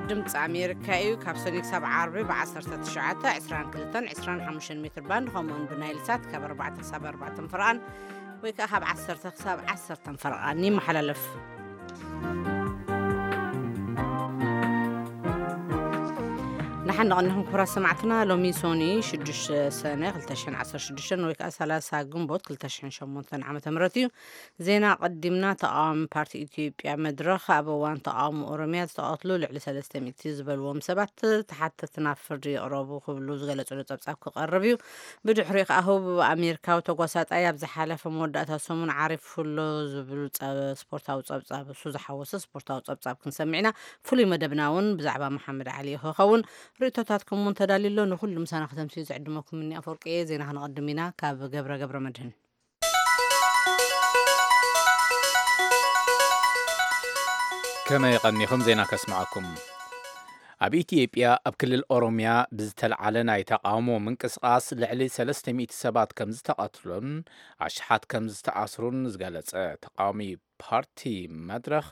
ድምፂ ኣሜሪካ እዩ። ካብ ሰኑይ ክሳብ ዓርቢ ብ19፣ 22፣ 25 ሜትር ባንድ፣ ከምኡውን ብናይል ሳት ካብ ኣርባዕተ ክሳብ ኣርባዕተ ፈረቓን፣ ወይ ከዓ ካብ ዓሰርተ ክሳብ ዓሰርተ ፈረቓን ይመሓላለፍ። ንሓን ንቐንኹም ክቡራት ሰማዕትና፣ ሎሚ ሶኒ ሽዱሽተ ሰነ ክልተ ሽሕን ዓሰርተ ሽዱሽተን ወይ ከዓ ሰላሳ ግንቦት ክልተ ሽሕን ሸሞንተን ዓመተ ምህረት እዩ። ዜና ቀዲምና። ተቃዋሚ ፓርቲ ኢትዮጵያ መድረኽ ኣብ እዋን ተቃውሞ ኦሮሚያ ዝተቐትሉ ልዕሊ ሰለስተ ሚእቲ ዝበልዎም ሰባት ተሓተቲ ናብ ፍርዲ ይቕረቡ ክብሉ ዝገለጽሉ ጸብጻብ ክቐርብ እዩ። ብድሕሪኡ ከኣ ህቡብ ኣሜሪካዊ ተጓሳጣይ ኣብ ዝሓለፈ መወዳእታ ሰሙን ዓሪፉሎ ዝብሉ ጸ-፣ ስፖርታዊ ጸብጻብ፣ እሱ ዝሓወሰ ስፖርታዊ ጸብጻብ ክንሰምዕ ኢና። ፍሉይ መደብና እውን ብዛዕባ መሓመድ ዓሊ ክኸውን። ርእይቶታትኩም እውን ተዳልዩ ኣሎ። ንኹሉ ምሳና ከተምስዩ ዝዕድመኩም እኒ ኣፈወርቂ እየ። ዜና ክነቐድም ኢና ካብ ገብረ ገብረ መድህን። ከመይ ቀኒኹም? ዜና ከስምዓኩም። ኣብ ኢትዮጵያ ኣብ ክልል ኦሮሚያ ብዝተልዓለ ናይ ተቃውሞ ምንቅስቃስ ልዕሊ ሰለስተ ሚእቲ ሰባት ከም ዝተቐትሉን ኣሽሓት ከም ዝተኣስሩን ዝገለጸ ተቃዋሚ ፓርቲ መድረኽ፣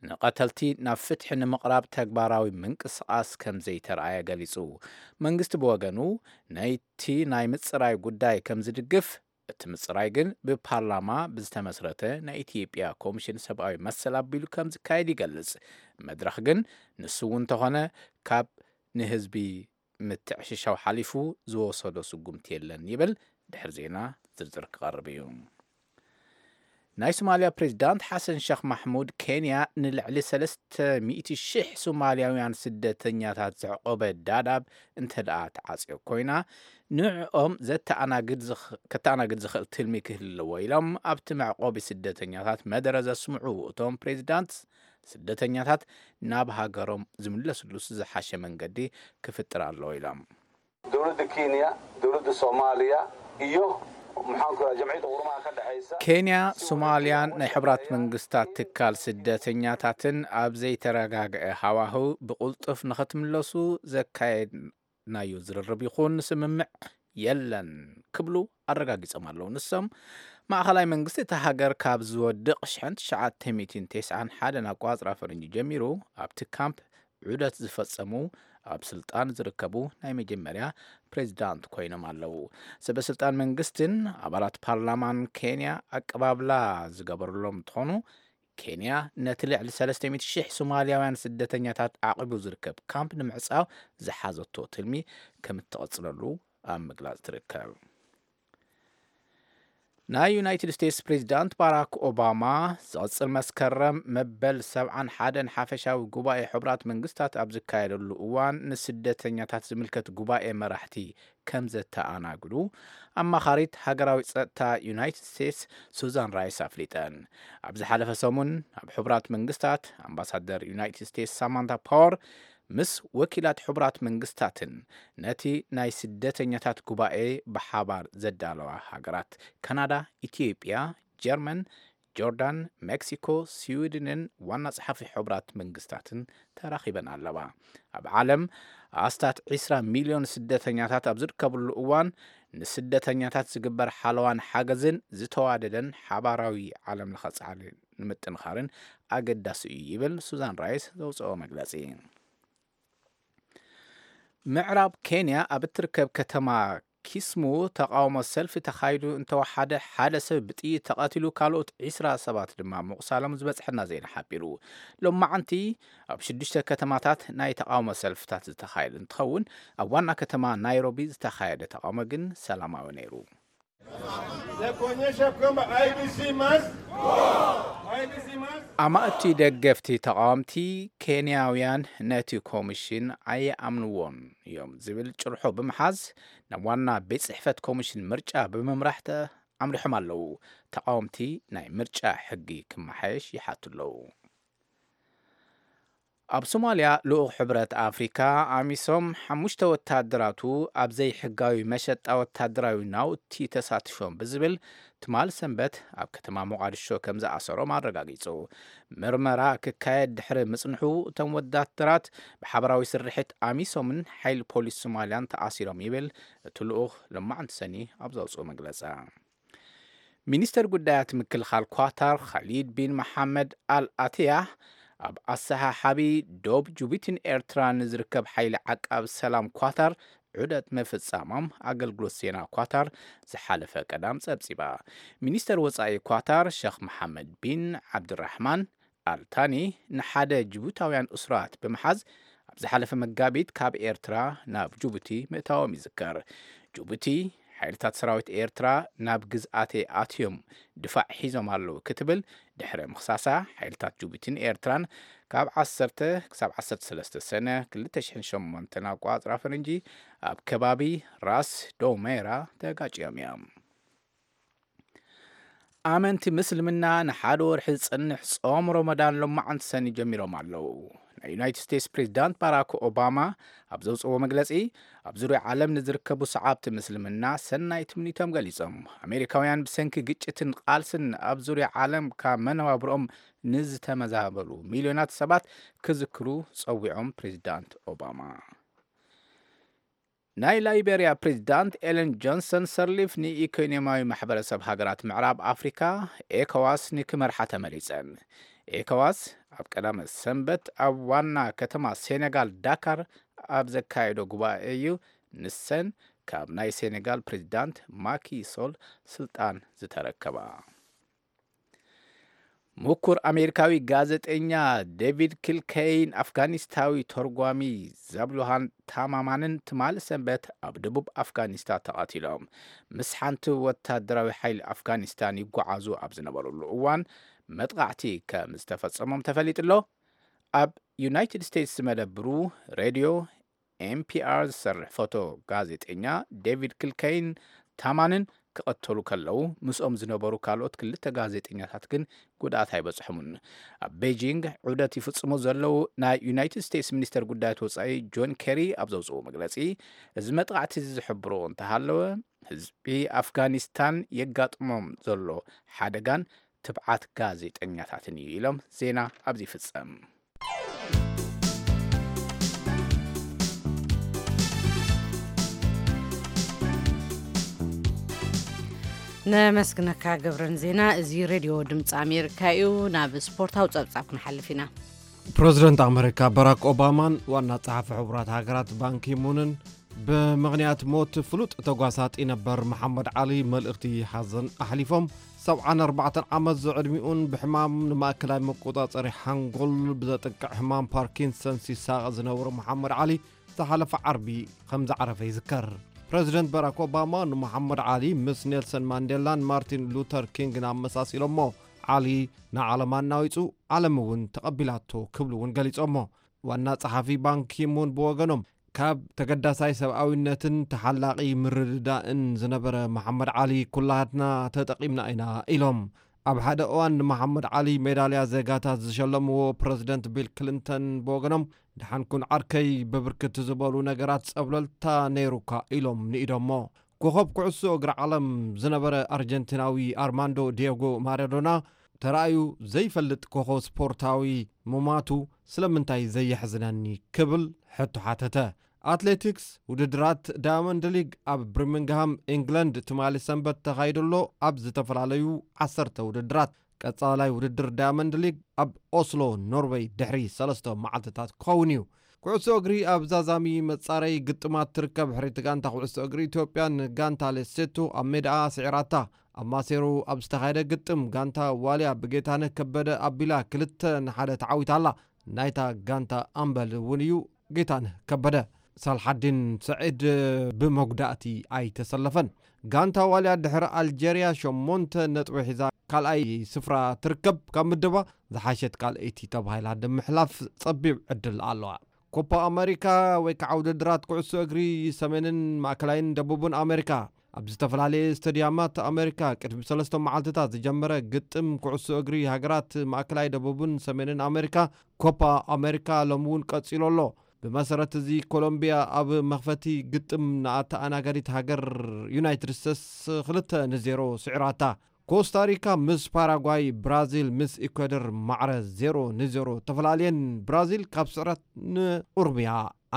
ንቐተልቲ ናብ ፍትሒ ንምቕራብ ተግባራዊ ምንቅስቃስ ከም ዘይተረኣየ ገሊጹ። መንግስቲ ብወገኑ ነቲ ናይ ምጽራይ ጉዳይ ከም ዝድግፍ፣ እቲ ምጽራይ ግን ብፓርላማ ብዝተመስረተ ናይ ኢትዮጵያ ኮሚሽን ሰብኣዊ መሰል ኣቢሉ ከም ዝካየድ ይገልጽ። መድረኽ ግን ንሱ እውን እንተኾነ ካብ ንህዝቢ ምትዕሽሻው ሓሊፉ ዝወሰዶ ስጉምቲ የለን ይብል። ድሕሪ ዜና ዝርዝር ክቐርብ እዩ። ናይ ሶማልያ ፕሬዚዳንት ሓሰን ሸኽ ማሕሙድ፣ ኬንያ ንልዕሊ ሰለስተ ሚእቲ ሺሕ ሶማልያውያን ስደተኛታት ዘዕቆበ ዳዳብ እንተ ደኣ ተዓጽዮ ኮይና፣ ንዕኦም ዘተኣናግድ ዝኽ-፣ ከተኣናግድ ዝኽእል ትልሚ ክህልዎ ኢሎም ኣብቲ መዕቆቢ ስደተኛታት መደረ ዘስምዑ እቶም ፕሬዚዳንት፣ ስደተኛታት ናብ ሃገሮም ዝምለስሉስ ዝሓሸ መንገዲ ክፍጥር ኣለዎ ኢሎም። Dowladda Kenya, dowladda Soomaaliya iyo maxaan ku rahaa jamciyadda qurumaha ka dhexeysa. ኬንያ፣ ሶማልያን ናይ ሕቡራት መንግስታት ትካል ስደተኛታትን ኣብ ዘይተረጋግአ ሃዋህው ብቕልጡፍ ንኸትምለሱ ዘካየድናዮ ዝርርብ ይኹን ስምምዕ የለን ክብሉ ኣረጋጊጾም ኣለዉ። ንሶም፣ ማእኸላይ መንግስቲ እታ ሃገር ካብ ዝወድቕ ሽሕን ትሽዓተ ሚእትን ተስዓን ሓደን ኣቋጽራ ፈረንጂ ጀሚሩ ኣብቲ ካምፕ ዑደት ዝፈጸሙ ኣብ ስልጣን ዝርከቡ ናይ መጀመርያ ፕሬዚዳንት ኮይኖም ኣለዉ። ሰበ ስልጣን መንግስትን ኣባላት ፓርላማን ኬንያ ኣቀባብላ ዝገበሩሎም እንትኾኑ፣ ኬንያ ነቲ ልዕሊ ሰለስተ ሚእቲ ሺሕ ሶማልያውያን ስደተኛታት ዓቒቡ ዝርከብ ካምፕ ንምዕጻው ዝሓዘቶ ትልሚ ከም እትቕጽለሉ ኣብ ምግላጽ ትርከብ። ናይ ዩናይትድ ስቴትስ ፕሬዚዳንት ባራክ ኦባማ፣ ዝቕጽል መስከረም መበል ሰብዓን ሓደን ሓፈሻዊ ጉባኤ ሕቡራት መንግስታት ኣብ ዝካየደሉ እዋን፣ ንስደተኛታት ዝምልከት ጉባኤ መራሕቲ ከም ዘተኣናግዱ ኣማኻሪት ሃገራዊ ጸጥታ ዩናይትድ ስቴትስ ሱዛን ራይስ ኣፍሊጠን። ኣብ ዝሓለፈ ሰሙን፣ ኣብ ሕቡራት መንግስታት ኣምባሳደር ዩናይትድ ስቴትስ ሳማንታ ፓወር ምስ ወኪላት ሕቡራት መንግስታትን ነቲ ናይ ስደተኛታት ጉባኤ ብሓባር ዘዳለዋ ሃገራት ካናዳ፣ ኢትዮጵያ፣ ጀርመን፣ ጆርዳን፣ ሜክሲኮ፣ ስዊድንን ዋና ጸሓፊ ሕቡራት መንግስታትን ተራኺበን ኣለዋ። ኣብ ዓለም ኣስታት ዕስራ ሚልዮን ስደተኛታት ኣብ ዝርከብሉ እዋን፣ ንስደተኛታት ዝግበር ሓለዋን ሓገዝን ዝተዋደደን ሓባራዊ ዓለም ለኸ ጻዕሪ ንምጥንኻርን ኣገዳሲ እዩ ይብል ሱዛን ራይስ ዘውፅኦ መግለጺ። ምዕራብ ኬንያ ኣብ እትርከብ ከተማ ኪስሙ ተቃውሞ ሰልፊ ተኻይዱ እንተወሓደ ሓደ ሰብ ብጥይት ተቐቲሉ፣ ካልኦት ዕስራ ሰባት ድማ ምቑሳሎም ዝበጽሐና ዜና ሓቢሩ። ሎማዓንቲ ኣብ ሽዱሽተ ከተማታት ናይ ተቃውሞ ሰልፍታት ዝተኻየደ እንትኸውን፣ ኣብ ዋና ከተማ ናይሮቢ ዝተኻየደ ተቃውሞ ግን ሰላማዊ ነይሩ። Ya kuonyesha kwamba I E B C must go. I E B C must. ኣማእቲ ደገፍቲ ተቃወምቲ ኬንያውያን ነቲ ኮሚሽን ኣይኣምንዎን እዮም ዝብል ጭርሖ ብምሓዝ ናብ ዋና ቤት ጽሕፈት ኮሚሽን ምርጫ ብምምራሕ ተ-፣ ኣምሪሖም ኣለዉ። ተቃወምቲ ናይ ምርጫ ሕጊ ክመሓየሽ ይሓቱ ኣለዉ። ኣብ ሶማልያ፣ ልኡኽ ሕብረት ኣፍሪካ ኣሚሶም ሓሙሽተ ወታደራቱ ኣብ ዘይሕጋዊ መሸጣ ወታደራዊ ናውቲ ተሳቲፎም ብዝብል ትማል ሰንበት ኣብ ከተማ ሞቓድሾ ከም ዝኣሰሮም ኣረጋጊጹ። ምርመራ ክካየድ ድሕሪ ምጽንሑ፣ እቶም ወታደራት ብሓበራዊ ስርሒት ኣሚሶምን ሓይሊ ፖሊስ ሶማልያን ተኣሲሮም ይብል እቲ ልኡኽ ሎማዓንቲ ሰኒ ኣብ ዘውፅኦ መግለፂ። ሚኒስተር ጉዳያት ምክልኻል ኳታር ኻሊድ ቢን መሓመድ ኣል ኣትያ ኣብ ኣሰሓሓቢ ዶብ ጅቡቲን ኤርትራን ንዝርከብ ሓይሊ ዓቃብ ሰላም ኳታር ዑደት ምፍጻሞም ኣገልግሎት ዜና ኳታር ዝሓለፈ ቀዳም ጸብጺባ። ሚኒስተር ወጻኢ ኳታር ሸኽ መሓመድ ቢን ዓብድራሕማን ኣልታኒ ንሓደ ጅቡታውያን እሱራት ብምሓዝ ኣብ ዝሓለፈ መጋቢት ካብ ኤርትራ ናብ ጅቡቲ ምእታዎም ይዝከር። ጅቡቲ ሓይልታት ሰራዊት ኤርትራ ናብ ግዝኣተይ ኣትዮም ድፋዕ ሒዞም ኣለዉ ክትብል ድሕሪ ምኽሳሳ፣ ሓይልታት ጅቡቲን ኤርትራን ካብ ዓሰርተ ክሳብ ዓሰርተ ሰለስተ ሰነ ክልተ ሽሕን ሸሞንተን ኣቋጽራ ፈረንጂ ኣብ ከባቢ ራስ ዶሜራ ተጋጭዮም እዮም። ኣመንቲ ምስልምና ንሓደ ወርሒ ዝጸንሕ ጾም ሮመዳን ሎማዓንቲ ሰኒ ጀሚሮም ኣለዉ። ናይ ዩናይትድ ስቴትስ ፕሬዚዳንት ባራክ ኦባማ ኣብ ዘውፅዎ መግለጺ፣ ኣብ ዙርያ ዓለም ንዝርከቡ ሰዓብቲ ምስልምና ሰናይ ትምኒቶም ገሊጾም። ኣሜሪካውያን ብሰንኪ ግጭትን ቃልስን ኣብ ዙርያ ዓለም ካብ መነባብሮኦም ንዝተመዛበሉ ሚልዮናት ሰባት ክዝክሩ ጸዊዖም ፕሬዚዳንት ኦባማ። ናይ ላይቤርያ ፕሬዚዳንት ኤለን ጆንሰን ሰርሊፍ ንኢኮኖሚያዊ ማሕበረሰብ ሃገራት ምዕራብ ኣፍሪካ ኤኮዋስ ንክመርሓ ተመሪጸን። ኤኮዋስ ኣብ ቀዳመ ሰንበት ኣብ ዋና ከተማ ሴኔጋል ዳካር ኣብ ዘካየዶ ጉባኤ እዩ ንሰን ካብ ናይ ሴኔጋል ፕሬዚዳንት ማኪ ሶል ስልጣን ዝተረከባ። ምኩር ኣሜሪካዊ ጋዜጠኛ ዴቪድ ኪልከይን ኣፍጋኒስታዊ ተርጓሚ ዛብሉሃን ታማማንን ትማሊ ሰንበት ኣብ ደቡብ ኣፍጋኒስታን ተቐቲሎም። ምስ ሓንቲ ወታደራዊ ሓይሊ ኣፍጋኒስታን ይጓዓዙ ኣብ ዝነበሩሉ እዋን መጥቓዕቲ ከም ዝተፈጸሞም ተፈሊጡ ኣሎ። ኣብ ዩናይትድ ስቴትስ ዝመደብሩ ሬድዮ ኤንፒኣር ዝሰርሕ ፎቶ ጋዜጠኛ ዴቪድ ኪልከይን ታማንን ክቐተሉ ከለዉ፣ ምስኦም ዝነበሩ ካልኦት ክልተ ጋዜጠኛታት ግን ጉድኣት ኣይበጽሖምን። ኣብ ቤጂንግ ዑደት ይፍጽሙ ዘለዉ ናይ ዩናይትድ ስቴትስ ሚኒስተር ጉዳያት ወጻኢ ጆን ኬሪ ኣብ ዘውፅኡ መግለጺ፣ እዚ መጥቓዕቲ እዚ ዝሕብሮ እንተሃለወ፣ ህዝቢ ኣፍጋኒስታን የጋጥሞም ዘሎ ሓደጋን ትብዓት ጋዜጠኛታትን እዩ ኢሎም ዜና ኣብዚ ይፍጸም። ነመስግነካ ገብረን ዜና። እዚ ሬድዮ ድምፂ ኣሜሪካ እዩ። ናብ ስፖርታዊ ጸብጻብ ክንሓልፍ ኢና። ፕረዚደንት ኣመሪካ ባራክ ኦባማን ዋና ጸሓፊ ሕቡራት ሃገራት ባንኪሙንን ብምኽንያት ሞት ፍሉጥ ተጓሳጢ ነበር መሓመድ ዓሊ መልእኽቲ ሓዘን ኣሕሊፎም። ሰብዓን ኣርባዕተን ዓመት ዝዕድሚኡን ብሕማም ንማእከላይ መቆጻጸሪ ሓንጎል ብዘጥቅዕ ሕማም ፓርኪንሰንስ ይሳቐ ዝነበረ መሓመድ ዓሊ ዝሓለፈ ዓርቢ ከም ዝዓረፈ ይዝከር። ፕረዚደንት ባራክ ኦባማ ንመሓመድ ዓሊ ምስ ኔልሰን ማንዴላን ማርቲን ሉተር ኪንግን ኣመሳሲሎሞ። ዓሊ ንዓለም ኣናዊጹ፣ ዓለም እውን ተቐቢላቶ ክብሉ እውን ገሊጾሞ። ዋና ጸሓፊ ባንኪሙን ብወገኖም፣ ካብ ተገዳሳይ ሰብኣዊነትን ተሓላቒ ምርድዳእን ዝነበረ መሓመድ ዓሊ ኩላትና ተጠቒምና ኢና ኢሎም። ኣብ ሓደ እዋን ንመሓመድ ዓሊ ሜዳልያ ዜጋታት ዝሸለምዎ ፕረዚደንት ቢል ክሊንተን ብወገኖም፣ ደሓን ኩን ዓርከይ፣ ብብርክት ዝበሉ ነገራት ጸብለልታ ነይሩካ ኢሎም ንኢዶሞ። ኮኸብ ኩዕሶ እግሪ ዓለም ዝነበረ ኣርጀንቲናዊ ኣርማንዶ ዲየጎ ማራዶና ተራእዩ ዘይፈልጥ ኮኸብ ስፖርታዊ ምማቱ ስለምንታይ ዘየሕዝነኒ ክብል ሕቶ ሓተተ። ኣትሌቲክስ፣ ውድድራት ዳያመንድ ሊግ ኣብ ብሪሚንግሃም ኢንግለንድ ትማሊ ሰንበት ተኻይዱ ኣሎ። ኣብ ዝተፈላለዩ ዓሰርተ ውድድራት፣ ቀጻላይ ውድድር ዳያመንድ ሊግ ኣብ ኦስሎ ኖርወይ ድሕሪ ሰለስተ መዓልትታት ክኸውን እዩ። ኩዕሶ እግሪ ኣብ ዛዛሚ መጻረይ ግጥማት ትርከብ። ሕርይቲ ጋንታ ኩዕሶ እግሪ ኢትዮጵያ ንጋንታ ሌሴቶ ኣብ ሜዳኣ ስዒራታ። ኣብ ማሴሩ ኣብ ዝተኻየደ ግጥም ጋንታ ዋልያ ብጌታነህ ከበደ ኣቢላ ክልተ ንሓደ ተዓዊታ ኣላ። ናይታ ጋንታ ኣምበል እውን እዩ ጌታነህ ከበደ። ሳልሓዲን ሰዒድ ብመጉዳእቲ ኣይተሰለፈን። ጋንታ ዋልያ ድሕሪ ኣልጀርያ ሸሞንተ ነጥቢ ሒዛ ካልኣይ ስፍራ ትርከብ። ካብ ምድባ ዝሓሸት ካልኣይቲ ተባሂላ ንምሕላፍ ጸቢብ ዕድል ኣለዋ። ኮፓ ኣመሪካ ወይ ከዓ ውድድራት ኩዕሶ እግሪ ሰሜንን ማእከላይን ደቡብን ኣመሪካ ኣብ ዝተፈላለየ ስቴድያማት ኣመሪካ ቅድሚ ሰለስተ መዓልትታት ዝጀመረ ግጥም ኩዕሶ እግሪ ሃገራት ማእከላይ ደቡብን ሰሜንን ኣመሪካ፣ ኮፓ ኣመሪካ፣ ሎሚ እውን ቀጺሉ ኣሎ። ብመሰረት እዚ ኮሎምቢያ ኣብ መኽፈቲ ግጥም ንኣተኣናጋዲት ሃገር ዩናይትድ ስቴትስ ክልተ ንዜሮ ስዒራታ። ኮስታሪካ ምስ ፓራጓይ፣ ብራዚል ምስ ኢኳዶር ማዕረ ዜሮ ንዜሮ ተፈላልየን፣ ብራዚል ካብ ስዕረት ንቁርብያ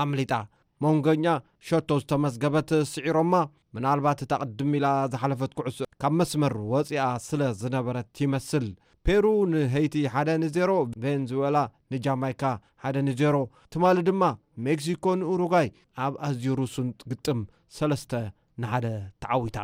ኣምሊጣ። መንጎኛ ሸቶ ዝተመዝገበት ስዒሮማ። ምናልባት እታ ቅድም ኢላ ዝሓለፈት ኩዕሶ ካብ መስመር ወፂኣ ስለ ዝነበረት ይመስል። ፔሩ ንሄይቲ ሓደ ንዜሮ፣ ቬንዙዌላ ንጃማይካ ሓደ ንዜሮ፣ ትማሊ ድማ ሜክሲኮ ንኡሩጓይ ኣብ ኣዝዩ ርሱን ግጥም ሰለስተ ንሓደ ተዓዊታ።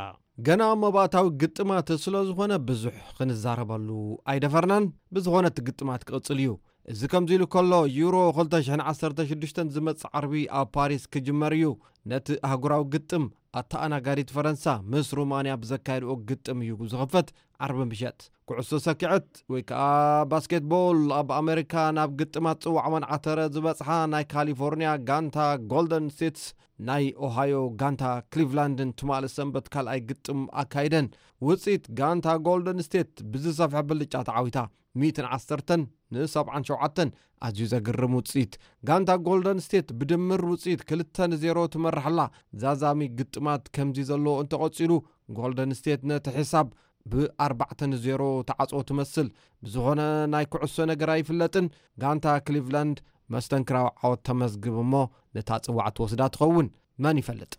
ገና መባእታዊ ግጥማት ስለ ዝኾነ ብዙሕ ክንዛረበሉ ኣይደፈርናን። ብዝኾነ እቲ ግጥማት ክቕጽል እዩ። እዚ ከምዚ ኢሉ ከሎ፣ ዩሮ ክልተ ሽሕን ዓሰርተ ሽዱሽተን ዝመጽእ ዓርቢ ኣብ ፓሪስ ክጅመር እዩ። ነቲ ኣህጉራዊ ግጥም ኣተኣናጋዲት ፈረንሳ ምስ ሩማንያ ብዘካየድኦ ግጥም እዩ ዝኽፈት። ዓርቢ ምሸት ኩዕሶ ሰኪዐት ወይ ከዓ ባስኬትቦል ኣብ ኣሜሪካ ናብ ግጥማት ጽዋዕ መንዓተረ ዝበጽሓ ናይ ካሊፎርኒያ ጋንታ ጎልደን ስቴትስ ናይ ኦሃዮ ጋንታ ክሊቭላንድን ትማሊ ሰንበት ካልኣይ ግጥም ኣካይደን። ውጽኢት ጋንታ ጎልደን ስቴት ብዝሰፍሐ ብልጫ ተዓዊታ። ሚእትን ዓሰርተን ንሰብዓን ሸውዓተን። ኣዝዩ ዘግርም ውጽኢት። ጋንታ ጎልደን ስቴት ብድምር ውጽኢት ክልተ ንዜሮ ትመርሕ ኣላ። ዛዛሚ ግጥማት ከምዚ ዘለዎ እንተቐጺሉ፣ ጎልደን ስቴት ነቲ ሕሳብ ብኣርባዕተ ንዜሮ ተዓጽዎ ትመስል። ብዝኾነ ናይ ኩዕሶ ነገር ኣይፍለጥን። ጋንታ ክሊቭላንድ መስተንክራዊ ዓወት ተመዝግብ እሞ ነታ ጽዋዕ ትወስዳ ትኸውን። መን ይፈልጥ?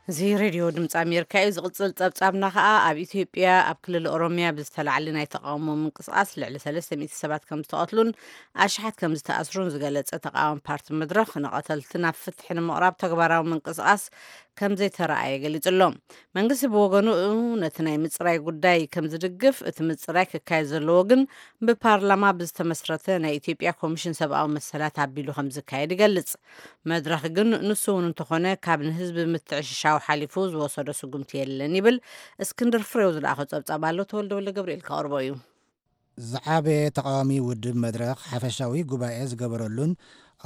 እዚ ሬድዮ ድምፂ ኣሜሪካ እዩ። ዝቕፅል ፀብፃብና ከዓ ኣብ ኢትዮጵያ ኣብ ክልል ኦሮሚያ ብዝተላዕለ ናይ ተቃውሞ ምንቅስቃስ ልዕሊ ሰለስተ ሚእቲ ሰባት ከም ዝተቐትሉን ኣሽሓት ከም ዝተኣስሩን ዝገለፀ ተቃዋሚ ፓርቲ መድረኽ፣ ንቐተልቲ ናብ ፍትሒ ንምቕራብ ተግባራዊ ምንቅስቃስ ከም ዘይተረኣየ ገሊጹ ኣሎ። መንግስቲ ብወገኑ ነቲ ናይ ምጽራይ ጉዳይ ከም ዝድግፍ፣ እቲ ምጽራይ ክካየድ ዘለዎ ግን ብፓርላማ ብዝተመስረተ ናይ ኢትዮጵያ ኮሚሽን ሰብኣዊ መሰላት ኣቢሉ ከም ዝካየድ ይገልጽ። መድረኽ ግን ንሱ እውን እንተኾነ ካብ ንህዝቢ ምትዕሽሻው ሓሊፉ ዝወሰዶ ስጉምቲ የለን ይብል። እስክንድር ፍሬው ዝለኣኾ ጸብጻብ ኣሎ፣ ተወልደ ወልደ ገብርኤል ከቕርቦ እዩ። ዝዓበየ ተቃዋሚ ውድብ መድረኽ ሓፈሻዊ ጉባኤ ዝገበረሉን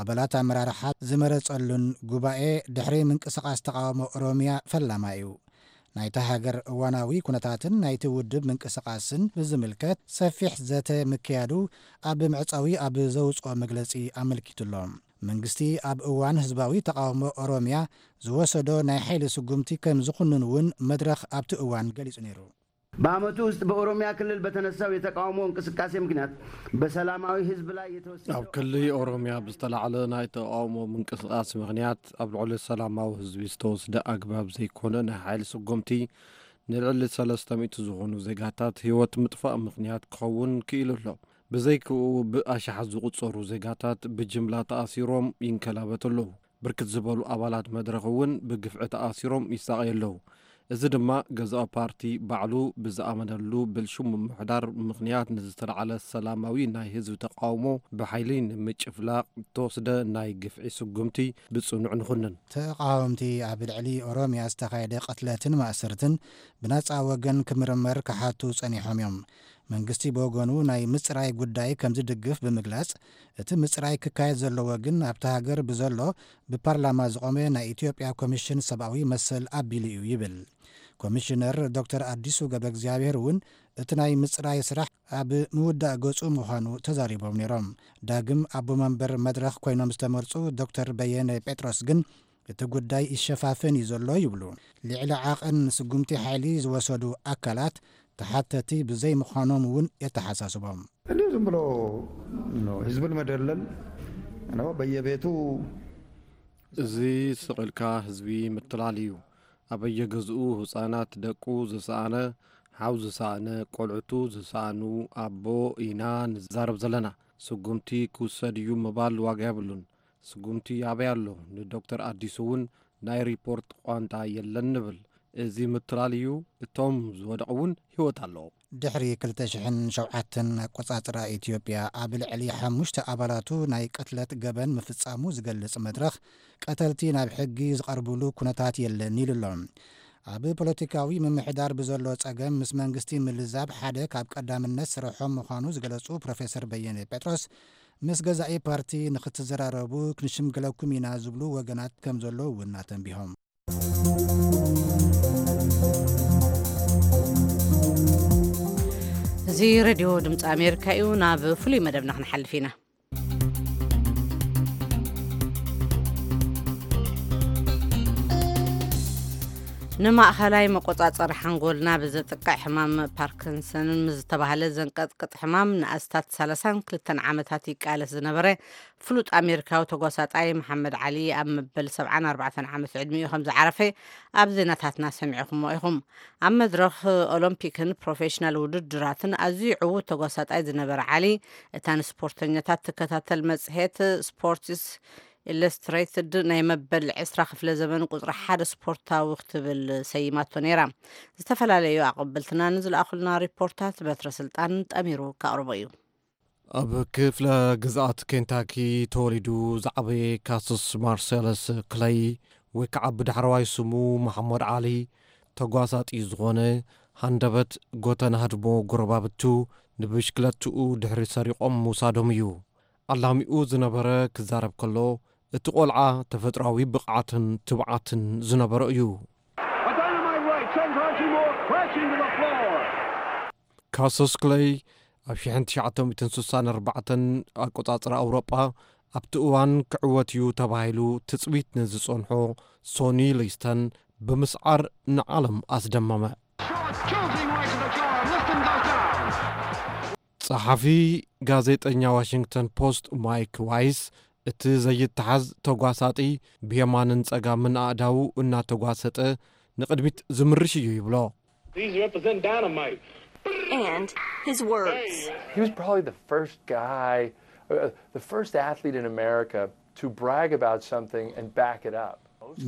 ኣባላት ኣመራርሓ ዝመረጸሉን ጉባኤ ድሕሪ ምንቅስቃስ ተቃውሞ ኦሮሚያ ፈላማ እዩ። ናይታ ሃገር እዋናዊ ኩነታትን ናይቲ ውድብ ምንቅስቃስን ብዝምልከት ሰፊሕ ዘተ ምክያዱ ኣብ ምዕጻዊ ኣብ ዘውጽኦ መግለጺ ኣመልኪቱ ኣሎ። መንግስቲ ኣብ እዋን ህዝባዊ ተቃውሞ ኦሮሚያ ዝወሰዶ ናይ ሓይሊ ስጉምቲ ከም ዝኹንን እውን መድረኽ ኣብቲ እዋን ገሊጹ ነይሩ። በዓመቱ ውስጥ በኦሮሚያ ክልል በተነሳው የተቃውሞ እንቅስቃሴ ምክንያት በሰላማዊ ህዝብ ላይ የተወሰደ ኣብ ክልል ኦሮሚያ ብዝተላዕለ ናይ ተቃውሞ ምንቅስቃስ ምክንያት ኣብ ልዕሊ ሰላማዊ ህዝቢ ዝተወስደ ኣግባብ ዘይኮነ ናይ ሓይሊ ስጎምቲ ንልዕሊ ሰለስተ ሚእቲ ዝኾኑ ዜጋታት ህይወት ምጥፋእ ምክንያት ክኸውን ክኢሉ ኣሎ። ብዘይክኡ ብኣሽሓት ዝቑጸሩ ዜጋታት ብጅምላ ተኣሲሮም ይንከላበቱ ኣለዉ። ብርክት ዝበሉ ኣባላት መድረኽ እውን ብግፍዒ ተኣሲሮም ይሳቐዩ ኣለዉ። እዚ ድማ ገዛኢ ፓርቲ ባዕሉ ብዝኣመነሉ ብልሽው ምምሕዳር ምኽንያት ንዝተላዕለ ሰላማዊ ናይ ህዝቢ ተቓውሞ ብሓይሊ ንምጭፍላቕ እተወስደ ናይ ግፍዒ ስጉምቲ ብጽኑዕ ንኹንን። ተቓወምቲ ኣብ ልዕሊ ኦሮሚያ ዝተኻየደ ቅትለትን ማእሰርትን ብነጻ ወገን ክምርመር ክሓቱ ጸኒሖም እዮም። መንግስቲ ብወገኑ ናይ ምጽራይ ጉዳይ ከም ዝድግፍ ብምግላጽ፣ እቲ ምጽራይ ክካየድ ዘለዎ ግን ኣብታ ሃገር ብዘሎ ብፓርላማ ዝቖመ ናይ ኢትዮጵያ ኮሚሽን ሰብኣዊ መሰል ኣቢሉ እዩ ይብል። ኮሚሽነር ዶክተር ኣዲሱ ገብረ እግዚኣብሔር እውን እቲ ናይ ምጽራይ ስራሕ ኣብ ምውዳእ ገጹ ምዃኑ ተዛሪቦም ነይሮም። ዳግም ኣቦ መንበር መድረኽ ኮይኖም ዝተመርጹ ዶክተር በየነ ጴጥሮስ ግን እቲ ጉዳይ ይሸፋፈን እዩ ዘሎ ይብሉ። ልዕሊ ዓቐን ስጉምቲ ሓይሊ ዝወሰዱ ኣካላት ተሓተቲ ብዘይምዃኖም እውን የተሓሳስቦም። እንዲሁ ዝም ብሎ ነው ህዝብን መደለል ነው በየቤቱ። እዚ ስቕ ኢልካ ህዝቢ ምትላል እዩ። ኣበየገዝኡ ህፃናት ደቁ ዝሰኣነ፣ ሓው ዝሰኣነ፣ ቆልዕቱ ዝሰኣኑ ኣቦ ኢና ንዛረብ ዘለና። ስጉምቲ ክውሰድ እዩ ምባል ዋጋ የብሉን። ስጉምቲ ኣበይ ኣሎ? ንዶክተር ኣዲሱ እውን ናይ ሪፖርት ቋንጣ የለን ንብል። እዚ ምትላል እዩ። እቶም ዝወደቑ እውን ህይወት ኣለዎም። ድሕሪ ክልተ ሽሕን ሸውዓተን ኣቆጻጽራ ኢትዮጵያ ኣብ ልዕሊ ሓሙሽተ ኣባላቱ ናይ ቅትለት ገበን ምፍጻሙ ዝገልጽ መድረኽ፣ ቀተልቲ ናብ ሕጊ ዝቐርብሉ ኩነታት የለን ኢሉ ኣሎ። ኣብ ፖለቲካዊ ምምሕዳር ብዘሎ ጸገም ምስ መንግስቲ ምልዛብ ሓደ ካብ ቀዳምነት ስርሖም ምዃኑ ዝገለጹ ፕሮፌሰር በየነ ጴጥሮስ፣ ምስ ገዛኢ ፓርቲ ንኽትዘራረቡ ክንሽምግለኩም ኢና ዝብሉ ወገናት ከም ዘለዉ እውን ኣተንቢሆም። እዚ ሬድዮ ድምፂ ኣሜሪካ እዩ። ናብ ፍሉይ መደብና ክንሓልፍ ኢና። ንማእኸላይ መቆጻጸሪ ሓንጎልና ብዘጥቅዕ ሕማም ፓርኪንሰን ምስ ዝተባህለ ዘንቀጥቅጥ ሕማም ንኣስታት ሰላሳን ክልተን ዓመታት ይቃለስ ዝነበረ ፍሉጥ ኣሜሪካዊ ተጓሳጣይ መሓመድ ዓሊ ኣብ መበል ሰብዓን ኣርባዕተን ዓመት ዕድሚኡ ከም ዝዓረፈ ኣብ ዜናታትና ሰሚዕኹሞ ኢኹም። ኣብ መድረኽ ኦሎምፒክን ፕሮፌሽናል ውድድራትን ኣዝዩ ዕዉት ተጓሳጣይ ዝነበረ ዓሊ፣ እታ ንስፖርተኛታት ትከታተል መጽሔት ስፖርትስ ኢለስትሬትድ ናይ መበል ዕስራ ክፍለ ዘመን ቁጽሪ ሓደ ስፖርታዊ ክትብል ሰይማቶ ነይራ። ዝተፈላለዩ ኣቐበልትና ንዝለኣኹልና ሪፖርታት በትረ ስልጣን ጠሚሩ ከቕርቦ እዩ። ኣብ ክፍለ ግዝኣት ኬንታኪ ተወሊዱ ዝዓበየ ካስስ ማርሴለስ ክለይ፣ ወይ ከዓ ብዳሕረዋይ ስሙ መሓመድ ዓሊ፣ ተጓሳጢ ዝኾነ፣ ሃንደበት ጎተና ህድሞ ጎረባብቱ ንብሽክለትኡ ድሕሪ ሰሪቖም ምውሳዶም እዩ። ኣላሚኡ ዝነበረ ክዛረብ ከሎ፣ እቲ ቆልዓ ተፈጥሮኣዊ ብቕዓትን ትብዓትን ዝነበሮ እዩ። A dynamite right sends Archie Moore crashing to the floor. ካሰስ ክለይ ኣብ ሽሕን ትሽዓተ ሚእትን ስሳን ኣርባዕተን ኣቆጻጽራ ኣውሮጳ ኣብቲ እዋን ክዕወት እዩ ተባሂሉ ትጽቢት ንዝጸንሖ ሶኒ ሊስተን ብምስዓር ንዓለም ኣስደመመ። Short, choosing right to the floor. Liston goes down. ጸሓፊ ጋዜጠኛ ዋሽንግተን ፖስት ማይክ ዋይስ፣ እቲ ዘይተሓዝ ተጓሳጢ ብየማንን ጸጋምን ኣእዳዉ እናተጓሰጠ ንቕድሚት ዝምርሽ እዩ ይብሎ። These represent dynamite. And his words. He was probably the first guy, uh, the first athlete in America to brag about something and back it up.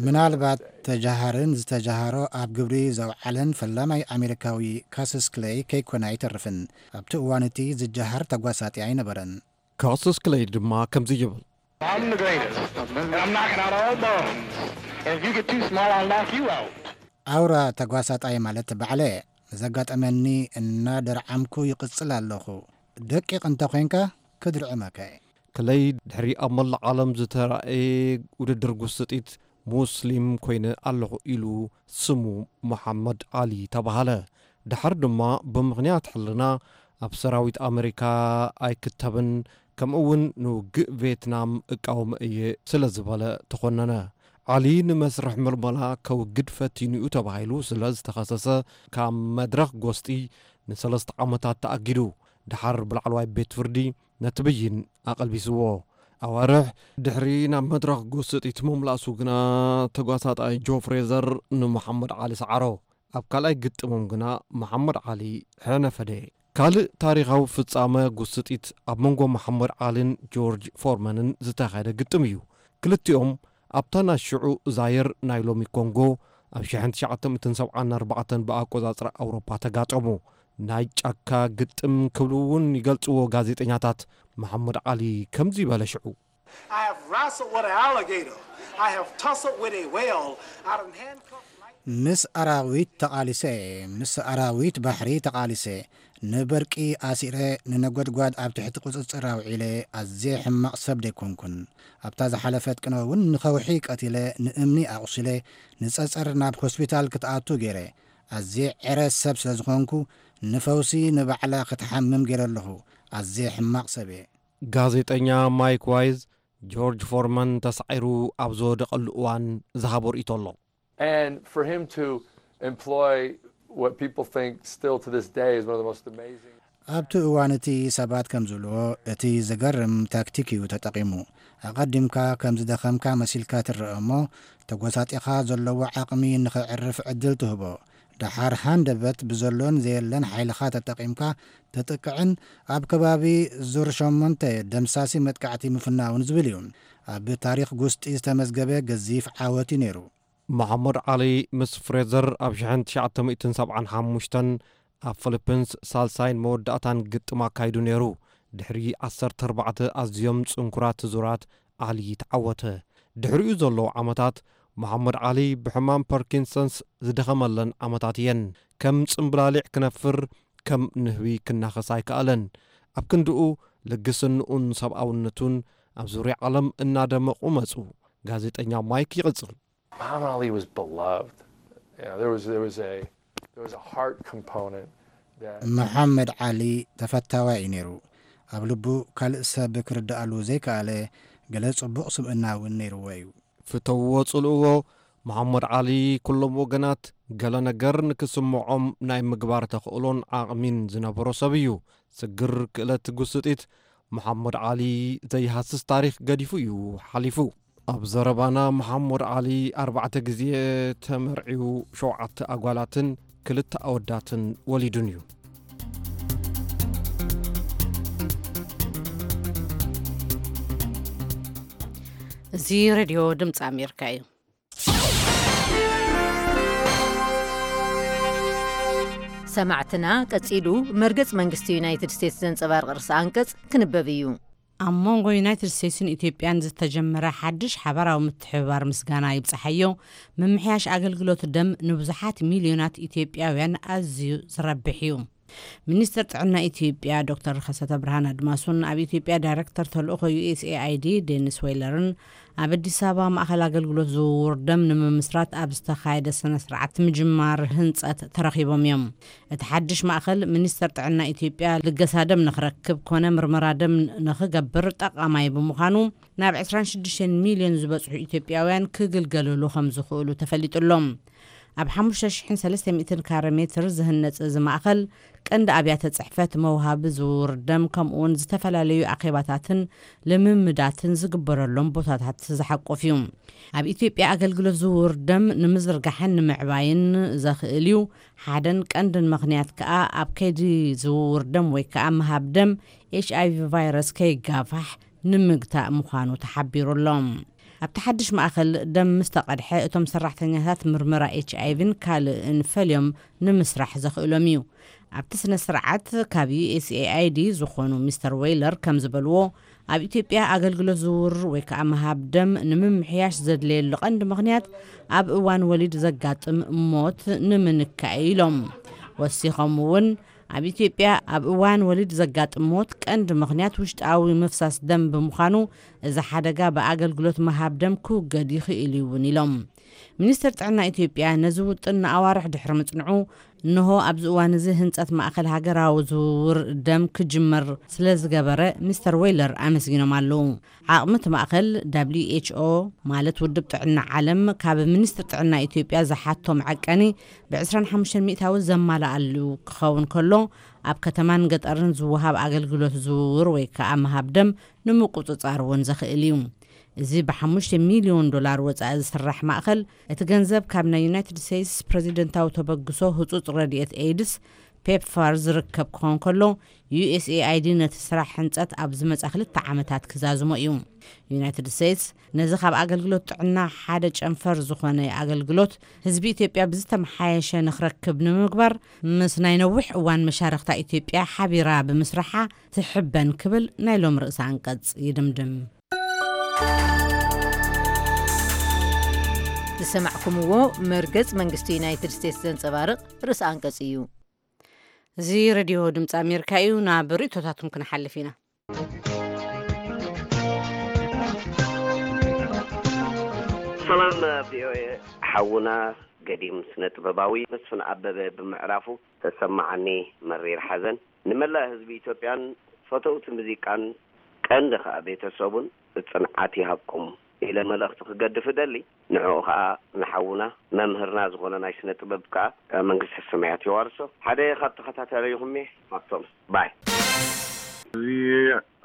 ምናልባት ተጃሃርን ዝተጃሃሮ ኣብ ግብሪ ዘውዓለን ፈላማይ ኣሜሪካዊ ካስስ ክለይ ከይኮነ ኣይተርፍን። ኣብቲ እዋን እቲ ዝጃሃር ተጓሳጢ ኣይነበረን። ካስስ ክለይ ድማ ከምዚ ይብል። I'm the greatest, and I'm knocking out all bums. And if you get too small, I'll knock you out. ኣውራ ተጓሳጣይ ማለት ባዕለ። ንዘጋጠመኒ እናደርዓምኩ ይቕጽል ኣለኹ። ደቂቕ እንተ ኾይንካ ክድርዕመካ እየ። ክለይ ድሕሪ ኣብ መላእ ዓለም ዝተራእየ ውድድር ጉስጢት ሙስሊም ኮይነ ኣለኹ ኢሉ ስሙ መሓመድ ዓሊ ተባሃለ። ድሓር ድማ ብምኽንያት ሕልና ኣብ ሰራዊት ኣመሪካ ኣይክተብን፣ ከምኡ እውን ንውግእ ቬትናም እቃወመ እየ ስለ ዝበለ ተኾነነ። ዓሊ ንመስርሕ ምልመላ ከውግድ ፈቲኑ እዩ ተባሂሉ ስለ ዝተኸሰሰ ካብ መድረኽ ጎስጢ ንሰለስተ ዓመታት ተኣጊዱ። ድሓር ብላዕለዋይ ቤት ፍርዲ ነቲ ብይን ኣቐልቢስዎ። ኣዋርሕ ድሕሪ ናብ መድረኽ ጎስጢት ምምላሱ ግና ተጓሳጣይ ጆ ፍሬዘር ንመሓመድ ዓሊ ሰዓሮ። ኣብ ካልኣይ ግጥሞም ግና መሓመድ ዓሊ ሕነ ፈደ። ካልእ ታሪኻዊ ፍጻመ ጉስጢት ኣብ መንጎ መሓመድ ዓልን ጆርጅ ፎርመንን ዝተኻየደ ግጥም እዩ። ክልቲኦም ኣብታ ናይ ሽዑ ዛየር ናይ ሎሚ ኮንጎ ኣብ ሽሕን ትሽዓተ ሚእትን ሰብዓን ኣርባዕተን ብኣቆጻጽራ ኣውሮፓ ተጋጠሙ። ናይ ጫካ ግጥም ክብሉ እውን ይገልጽዎ ጋዜጠኛታት። መሓመድ ዓሊ ከምዚ በለ ሽዑ። I have wrestled with an alligator. I have tussled with a whale. I done handcuffed light. ምስ ኣራዊት ተቓሊሰ፣ ምስ ኣራዊት ባሕሪ ተቓሊሰ፣ ንበርቂ ኣሲረ፣ ንነጎድጓድ ኣብ ትሕቲ ቁጽጽር ኣውዒለ፣ ኣዝየ ሕማቕ ሰብ ደይኮንኩን። ኣብታ ዝሓለፈት ቅነ እውን ንኸውሒ ቀቲለ፣ ንእምኒ ኣቑሲለ፣ ንጸጸር ናብ ሆስፒታል ክትኣቱ ገይረ። ኣዝየ ዕረ ሰብ ስለ ዝኾንኩ፣ ንፈውሲ ንባዕላ ክትሓምም ገይረ ኣለኹ። ኣዝየ ሕማቕ ሰብ እየ። ጋዜጠኛ ማይክ ዋይዝ፣ ጆርጅ ፎርማን ተሳዒሩ ኣብ ዝወደቐሉ እዋን ዝሃቦ ርእይቶ ኣሎ። And for him to employ what people think still to this day is one of the most amazing. ኣብቲ እዋን እቲ ሰባት ከም ዝብልዎ፣ እቲ ዝገርም ታክቲክ እዩ ተጠቒሙ። ኣቐዲምካ ከም ዝደኸምካ መሲልካ ትረአ እሞ፣ ተጎሳጢኻ ዘለዎ ዓቕሚ ንኸዕርፍ ዕድል ትህቦ። ደሓር ሃንደበት ብዘሎን ዘየለን ሓይልኻ ተጠቒምካ ተጥቅዕን ኣብ ከባቢ ዙር ሸሞንተ ደምሳሲ መጥቃዕቲ ምፍናውን ዝብል እዩ። ኣብ ታሪኽ ጉስጢ ዝተመዝገበ ገዚፍ ዓወት እዩ ነይሩ። መሓመድ ዓሊ ምስ ፍሬዘር ኣብ ሽሕን ትሽዓተ ሚእትን ሰብዓን ሓሙሽተን ኣብ ፊሊፒንስ ሳልሳይን መወዳእታን ግጥም ኣካይዱ ነይሩ። ድሕሪ ዓሰርተ ኣርባዕተ ኣዝዮም ጽንኩራት ዙራት ዓሊ ተዓወተ። ድሕሪኡ ዘለዉ ዓመታት መሓመድ ዓሊ ብሕማም ፓርኪንሰንስ ዝደኸመለን ዓመታት እየን። ከም ጽምብላሊዕ ክነፍር፣ ከም ንህቢ ክናኸስ ኣይከኣለን። ኣብ ክንድኡ ልግስንኡን ሰብኣውነቱን ኣብ ዙርያ ዓለም እናደመቑ መጹ። ጋዜጠኛ ማይክ ይቕጽል። Muhammad Ali was beloved. You know, there was there was a there was a heart component that መሓመድ ዓሊ ተፈታዋይ እዩ ነይሩ። ኣብ ልቡ ካልእ ሰብ ክርድኣሉ ዘይከኣለ ገለ ጽቡቕ ስብእና እውን ነይርዎ እዩ። ፍተውዎ ጽልእዎ፣ መሓመድ ዓሊ፣ ኩሎም ወገናት ገለ ነገር ንክስምዖም ናይ ምግባር ተኽእሎን ዓቕሚን ዝነበሮ ሰብ እዩ። ስግር ክእለት ጉስጢት፣ መሓመድ ዓሊ ዘይሃስስ ታሪኽ ገዲፉ እዩ ሓሊፉ። ኣብ ዘረባና፣ መሓመድ ዓሊ ኣርባዕተ ግዜ ተመርዕዩ፣ ሸውዓተ ኣጓላትን ክልተ ኣወዳትን ወሊዱን እዩ። እዚ ሬድዮ ድምፂ ኣሜሪካ እዩ። ሰማዕትና፣ ቀጺሉ መርገጽ መንግስቲ ዩናይትድ ስቴትስ ዘንጸባርቕ ርእሰ ኣንቀጽ ክንበብ እዩ። ኣብ መንጎ ዩናይትድ ስቴትስን ኢትዮጵያን ዝተጀመረ ሓድሽ ሓባራዊ ምትሕብባር ምስጋና ይብጻሓዮ። ምምሕያሽ ኣገልግሎት ደም ንብዙሓት ሚልዮናት ኢትዮጵያውያን ኣዝዩ ዝረብሕ እዩ። ሚኒስትር ጥዕና ኢትዮጵያ ዶክተር ከሰተ ብርሃን ኣድማሱን ኣብ ኢትዮጵያ ዳይሬክተር ተልእኾ ዩ ኤስ ኤ ኣይ ዲ ዴኒስ ዌይለርን ኣብ ኣዲስ ኣበባ ማእኸል ኣገልግሎት ዝውውር ደም ንምምስራት ኣብ ዝተኻየደ ስነ ስርዓት ምጅማር ህንፀት ተረኺቦም እዮም። እቲ ሓድሽ ማእኸል፣ ሚኒስትር ጥዕና ኢትዮጵያ ልገሳ ደም ንኽረክብ ኮነ ምርመራ ደም ንኽገብር ጠቓማይ ብምዃኑ፣ ናብ ዕስራን ሽዱሽተን ሚልዮን ዝበጽሑ ኢትዮጵያውያን ክግልገልሉ ከም ዝኽእሉ ተፈሊጡ ኣሎ። ኣብ ሓሙሽተ ሽሕን ሰለስተ ሚእትን ካሬ ሜትር ዝህነጽ እዚ ማእኸል፣ ቀንዲ ኣብያተ ጽሕፈት፣ መውሃቢ ዝውውር ደም፣ ከምኡውን ዝተፈላለዩ ኣኼባታትን ልምምዳትን ዝግበረሎም ቦታታት ዝሓቁፍ እዩ። ኣብ ኢትዮጵያ ኣገልግሎት ዝውውር ደም ንምዝርጋሕን ንምዕባይን ዘኽእል እዩ። ሓደን ቀንድን ምኽንያት ከኣ፣ ኣብ ከይዲ ዝውውር ደም ወይ ከኣ ምሃብ ደም ኤች ኣይ ቪ ቫይረስ ከይጋፋሕ ንምግታእ ምዃኑ ተሓቢሩ ኣሎ። ኣብቲ ሓድሽ ማእኸል ደም ምስ ተቐድሐ፣ እቶም ሰራሕተኛታት ምርመራ ኤች ኣይ ቪን ካልእን ፈልዮም ንምስራሕ ዘኽእሎም እዩ። ኣብቲ ስነ ስርዓት፣ ካብ ዩ ኤስ ኤ ኣይ ዲ ዝኾኑ ሚስተር ዌይለር ከም ዝበልዎ፣ ኣብ ኢትዮጵያ ኣገልግሎት ዝውውር ወይ ከዓ ምሃብ ደም ንምምሕያሽ ዘድለየሉ ቀንዲ ምኽንያት፣ ኣብ እዋን ወሊድ ዘጋጥም ሞት ንምንካእ እዩ ኢሎም። ወሲኾም እውን፣ ኣብ ኢትዮጵያ ኣብ እዋን ወሊድ ዘጋጥም ሞት ቀንዲ ምኽንያት ውሽጣዊ ምፍሳስ ደም ብምዃኑ፣ እዚ ሓደጋ ብኣገልግሎት ምሃብ ደም ክውገድ ይኽእል እዩ እውን ኢሎም። ሚኒስትር ጥዕና ኢትዮጵያ ነዚ ውጥን ንኣዋርሕ ድሕሪ ምጽንዑ፣ እንሆ ኣብዚ እዋን እዚ ህንጸት ማእከል ሃገራዊ ዝውውር ደም ክጅመር ስለ ዝገበረ፣ ሚስተር ዌይለር ኣመስጊኖም ኣለዉ። ዓቕሚ እቲ ማእከል፣ ደብሊው ኤች ኦ ማለት ውድብ ጥዕና ዓለም፣ ካብ ሚኒስትር ጥዕና ኢትዮጵያ ዝሓቶ መዐቀኒ ብ ዕስራን ሓሙሽተን ሚእታዊ ዘማልኣሉ ክኸውን ከሎ፣ ኣብ ከተማን ገጠርን ዝወሃብ ኣገልግሎት ዝውውር ወይ ከኣ ምሃብ ደም ንምቁጽጻር እውን ዘኽእል እዩ። እዚ ብሓሙሽተ ሚልዮን ዶላር ወጻኢ ዝስራሕ ማእከል፣ እቲ ገንዘብ ካብ ናይ ዩናይትድ ስቴትስ ፕረዚደንታዊ ተበግሶ ህጹጽ ረድኤት ኤይድስ፣ ፔፕፋር፣ ዝርከብ ክኸውን ከሎ፣ ዩ ኤስ ኤ ኣይ ዲ ነቲ ስራሕ ህንጸት ኣብ ዝመጻ ክልተ ዓመታት ክዛዝሞ እዩ። ዩናይትድ ስቴትስ ነዚ ካብ ኣገልግሎት ጥዕና ሓደ ጨንፈር ዝኾነ ኣገልግሎት ህዝቢ ኢትዮጵያ ብዝተመሓየሸ ንኽረክብ ንምግባር፣ ምስ ናይ ነዊሕ እዋን መሻርኽታ ኢትዮጵያ ሓቢራ ብምስራሓ ትሕበን ክብል ናይ ሎም ርእሰ ኣንቀጽ ይድምድም። ዝሰማዕኩምዎ መርገጽ መንግስቲ ዩናይትድ ስቴትስ ዘንጸባርቕ ርእሰ ኣንቀጽ እዩ። እዚ ሬድዮ ድምፂ ኣሜሪካ እዩ። ናብ ርእቶታትኩም ክንሓልፍ ኢና። ሰላም ቪኦኤ፣ ሓውና ገዲም ስነ ጥበባዊ መስፍን ኣበበ ብምዕራፉ ተሰማዓኒ መሪር ሓዘን። ንመላእ ህዝቢ ኢትዮጵያን ፈተውቲ ሙዚቃን፣ ቀንዲ ከኣ ቤተሰቡን ጽንዓት ይሃብኩም ኢለ መልእኽቲ ክገድፍ እደሊ። ንዕኡ ከኣ ንሓውና መምህርና ዝኾነ ናይ ስነ ጥበብ ከኣ መንግስተ ሰማያት የዋርሶ። ሓደ ካብ ተኸታታሊኹም እየ። ሃብቶም ባይ። እዚ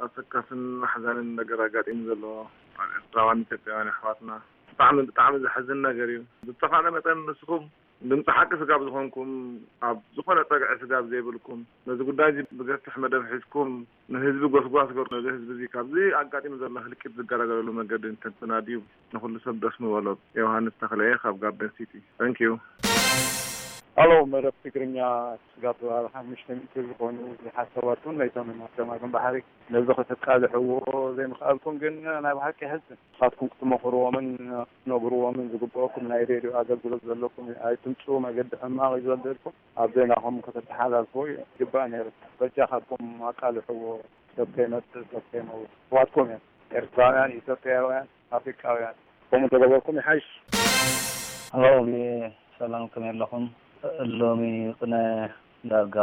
ኣሰካፍን ኣሕዛንን ነገር ኣጋጢሙ ዘሎ ኣብ ኤርትራውያን ኢትዮጵያውያን ኣሕዋትና ብጣዕሚ ብጣዕሚ ዘሕዝን ነገር እዩ። ብዝተኻእለ መጠን ንስኹም ድምፂ ሓቂ ስጋብ ዝኾንኩም፣ ኣብ ዝኾነ ፀግዒ ስጋብ ዘይብልኩም፣ ነዚ ጉዳይ እዚ ብገፍሕ መደብ ሒዝኩም ንህዝቢ ጎስጓስ ገሩ። ነዚ ህዝቢ እዚ ካብዚ ኣጋጢሙ ዘሎ ህልቂት ዝገላገለሉ መገዲ እንተትናድዩ ንኹሉ ሰብ ደስ ምበሎ። ዮሃንስ ተኽለየ ካብ ጋርደን ሲቲ። Thank you። ሃሎ መደብ ትግርኛ፣ ስጋብ ሓሙሽተ ሚእቲ ዝኾኑ ብዙሓት ሰባት እውን መይቶም እዮም ኣብ ገማግም ባሕሪ። ነዚ ከተቃልሕዎ ዘይምኽኣልኩም ግን ናይ ብሓቂ የሕዝን። ንስኻትኩም ክትመኽርዎምን ክትነግርዎምን ዝግብኦኩም ናይ ሬድዮ ኣገልግሎት ዘለኩም ኣይትምፅኡ፣ መገዲ ሕማቕ እዩ ዘልደልኩም። ኣብ ዜናኹም ከተተሓላልፍዎ ይግባእ ነይሩ። በጃኻትኩም ኣቃልሕዎ፣ ሰብ ከይመጽእ ሰብ ከይመውት። ኣሕዋትኩም እዮም ኤርትራውያን፣ ኢትዮጵያውያን፣ ኣፍሪቃውያን። ከምኡ እንተገበርኩም ይሓይሽ። ሎሚ ሰላም ከመይ ኣለኹም? ሎሚ ቅነ ዳርጋ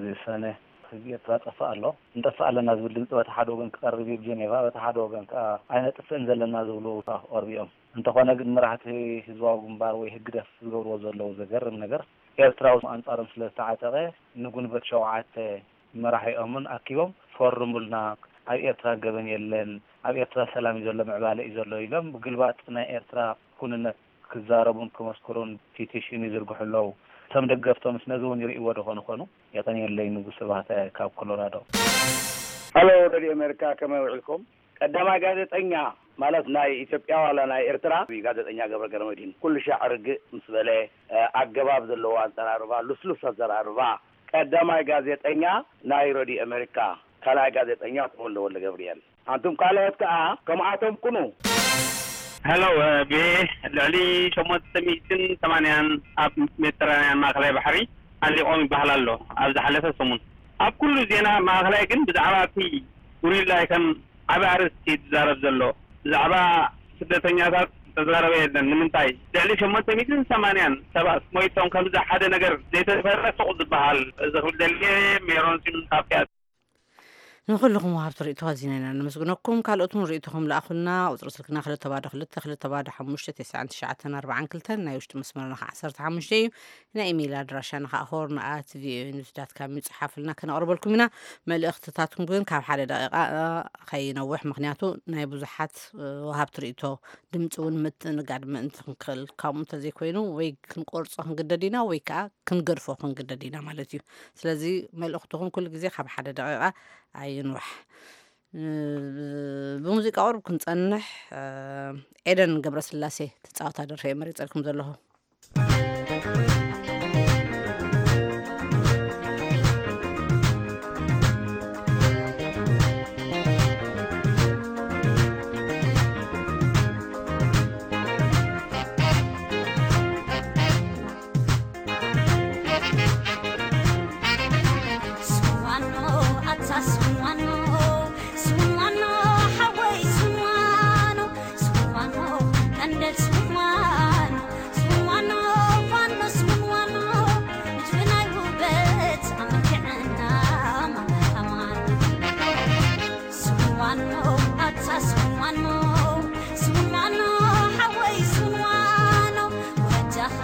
ዝሰነ ህዝቢ ኤርትራ ጠፍእ ኣሎ። እንጠፍእ ኣለና ዝብል ድምፂ በቲ ሓደ ወገን ክቐርብ እዩ ጀኔቫ፣ በቲ ሓደ ወገን ከዓ ኣይነጥፍእን ዘለና ዝብሉ ክቐርቡ እዮም። እንተኾነ ግን መራሕቲ ህዝባዊ ግንባር ወይ ህግደፍ ዝገብርዎ ዘለዉ ዘገርም ነገር፣ ኤርትራዊ ኣንጻሮም ስለ ዝተዓጠቐ፣ ንጉንበት ሸውዓተ መራሒኦምን ኣኪቦም፣ ፈርሙልና፣ ኣብ ኤርትራ ገበን የለን፣ ኣብ ኤርትራ ሰላም እዩ ዘሎ፣ ምዕባለ እዩ ዘሎ ኢሎም ብግልባጥ ናይ ኤርትራ ኩንነት ክዛረቡን ክመስክሩን ፒቲሽን ይዝርግሑ ኣለዉ። እቶም ደገፍቶምስ ነዚ እውን ይርእይዎ ዶ ኾኑ ኾኑ? የቐንየለይ ንጉስ ስብሃተ ካብ ኮሎራዶ። ሃሎ ሬድዮ ኣሜሪካ፣ ከመይ ውዒልኩም? ቀዳማይ ጋዜጠኛ ማለት ናይ ኢትዮጵያ ዋላ ናይ ኤርትራ ጋዜጠኛ ገብረ ገረመድህን ኩሉ ሻዕ ርግእ ምስ በለ፣ እ፣ ኣገባብ ዘለዎ ኣዘራርባ፣ ልስሉስ ኣዘራርባ፣ ቀዳማይ ጋዜጠኛ ናይ ሬድዮ ኣሜሪካ፣ ካልኣይ ጋዜጠኛ ተወልደ ወልደ ገብርኤል። ኣንቱም ካልኦት ከኣ ከምኣቶም ኩኑ። ሄሎ፣ ቪኦኤ፣ ልዕሊ ሸሞንተ ሚእትን ሰማንያን ኣብ ሜዲተራንያን ማእከላይ ባሕሪ ኣሊቖም ይበሃል ኣሎ። ኣብ ዝሓለፈ ሰሙን ኣብ ኩሉ ዜና ማእከላይ ግን ብዛዕባ እቲ ጉሪላ ከም ዓቢ ኣርእስቲ እዩ ዝዛረብ ዘሎ። ብዛዕባ ስደተኛታት ዝተዛረበ የለን። ንምንታይ? ልዕሊ ሸሞንተ ሚእትን ሰማንያን ሰባት ሞይቶም፣ ከምዚ ሓደ ነገር ዘይተፈረ ሱቕ ዝበሃል። እዚ ክብል ደልየ። ሜሮን ሲም ካብ ፒያሳ። ንኹልኹም ወሃብቲ ርእይቶ ኣዚና ኢና ነመስግነኩም። ካልኦት እውን ርእይቶኹም ለኣኹልና። ቁጽሪ ስልክና ክልተ ባዶ ክልተ ክልተ ባዶ ሓሙሽተ ተስዓን ትሽዓተን ኣርባዓን ክልተን፣ ናይ ውሽጢ መስመርና ኸዓ ዓሰርተ ሓሙሽተ እዩ። ናይ ኢሜይል ኣድራሻና ኸዓ ሆርን ኣት ቪኦኤ ኒውስ ዳት ካም እዩ። ጽሓፉልና፣ ከነቕርበልኩም ኢና። መልእኽትታትኩም ግን ካብ ሓደ ደቂቓ፣ እ፣ ኸይነውሕ፣ ምኽንያቱ ናይ ብዙሓት፣ እ፣ ወሃብቲ ርእይቶ ድምፂ እውን ምትእንጋድ ምእንቲ ክንክእል፣ ከምኡ እንተዘይኮይኑ ወይ ክንቆርጾ ክንግደድ ኢና ወይ ከዓ ክንገድፎ ክንግደድ ኢና ማለት እዩ። ስለዚ መልእኽትኹም ኩሉ ግዜ ካብ ሓደ ደቂቓ ኣይንውሕ። እ፣ ብሙዚቃ ቁሩብ ክንጸንሕ፣ እ፣ ኤደን ገብረስላሴ ትጻወታ ደርፊ እየ መሪጸልኩም ዘለኹ። ስዋኖ ኣታ ስዋኖ፣ ስዋኖ ሓወይ ስዋኖ፣ ስዋኖ ቀንደል ስዋኖ፣ ስዋኖ ፋኖ ስዋኖ፣ ንድፊ ናይ ውበት ኣመልኪዕና ማማታማን። ስዋኖ ኣታ ስዋኖ፣ ስዋኖ ሓወይ ስዋኖ፣ ወጃኻ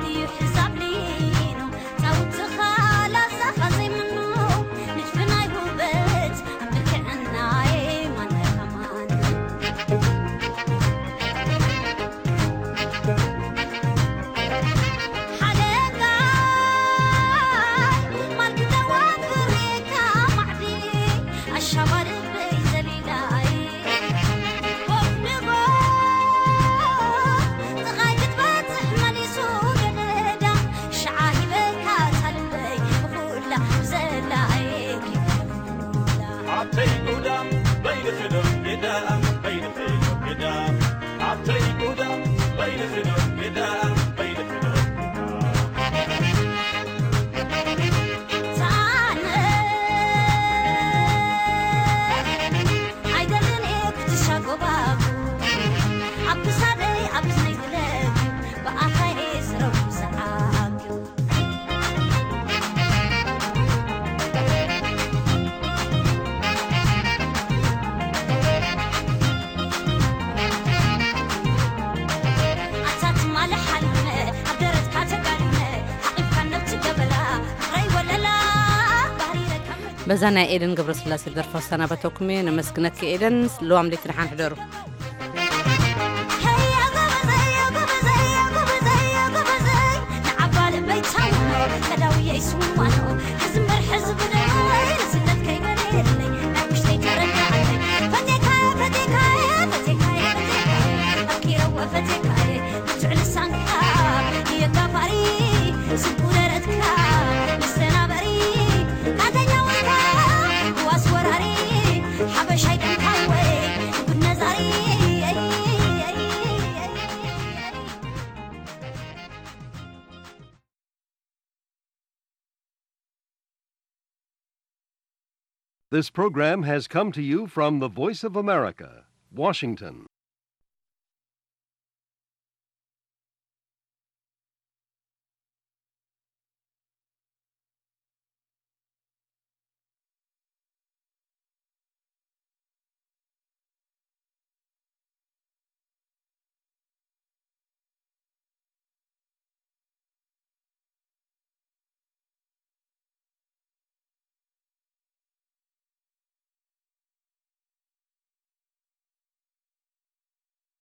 እዩ ሕዛብ ሊኖ፣ ጻውትኻ ላዛኻ ዘይምኖ፣ ንድፊ ናይ ውበት ኣመልኪዕናይ ማን ከማን። ሓለንጋይ ማልክተዋ ክሬካ ማዕዲ ኣሻባሪ በይ ዘሊላይ ኮፍ ንጎ ጥቓይ ክትበጽሕ መሊሱ ገደዳ ሽዓ ሂበካ ታልበይ ብኹላ ዘላይ ኣተይ ጉዳም በይንኺ ዶ ግዳም በይንኺ ዶ ግዳም ኣተይ ጉዳም በይንኺ ዶ ግዳም በይንኺ ዶ ግዳም ኣይደልን እየ ክትሻጎባጉ ኣብ ክሳደይ ኣብ እዝነይ ዝለግዩ ብኣፋይ እየ ዝረቡ ዝዓግዩ። ኣታ ትማሊ ሓሊመ ኣብ ደረትካ ተጋዲመ ሓቒፍካ ነብቲ ገበላ ፍቕረይ ወለላ ባህሪ ረከብ በዛ ናይ ኤደን ገብረስላሴ ደርፋ ሰናበተኩም እየ። ነመስግነኪ ኤደን። ልዋም ለይቲ ደሓን ሕደሩ። This program has come to you from the Voice of America, Washington.